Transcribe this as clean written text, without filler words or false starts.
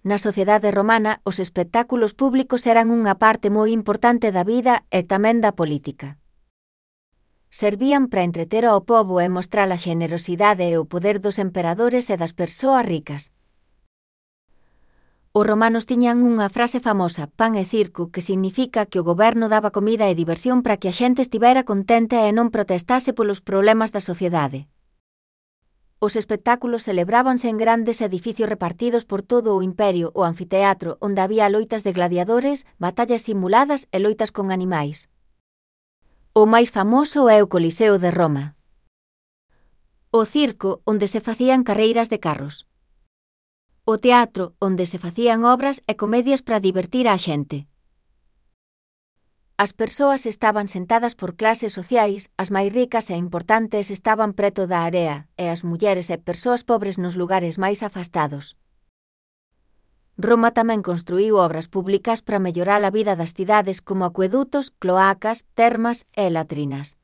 Na sociedade romana, os espectáculos públicos eran unha parte moi importante da vida e tamén da política. Servían para entreter ao pobo e mostrar a xenerosidade e o poder dos emperadores e das persoas ricas. Os romanos tiñan unha frase famosa, pan e circo, que significa que o goberno daba comida e diversión para que a xente estivera contenta e non protestase polos problemas da sociedade. Os espectáculos celebrábanse en grandes edificios repartidos por todo o imperio, o anfiteatro, onde había loitas de gladiadores, batallas simuladas e loitas con animais. O máis famoso é o Coliseo de Roma. O circo, onde se facían carreiras de carros. O teatro, onde se facían obras e comedias para divertir á xente. As persoas estaban sentadas por clases sociais, as máis ricas e importantes estaban preto da area, e as mulleres e persoas pobres nos lugares máis afastados. Roma tamén construíu obras públicas para mellorar a vida das cidades como acuedutos, cloacas, termas e latrinas.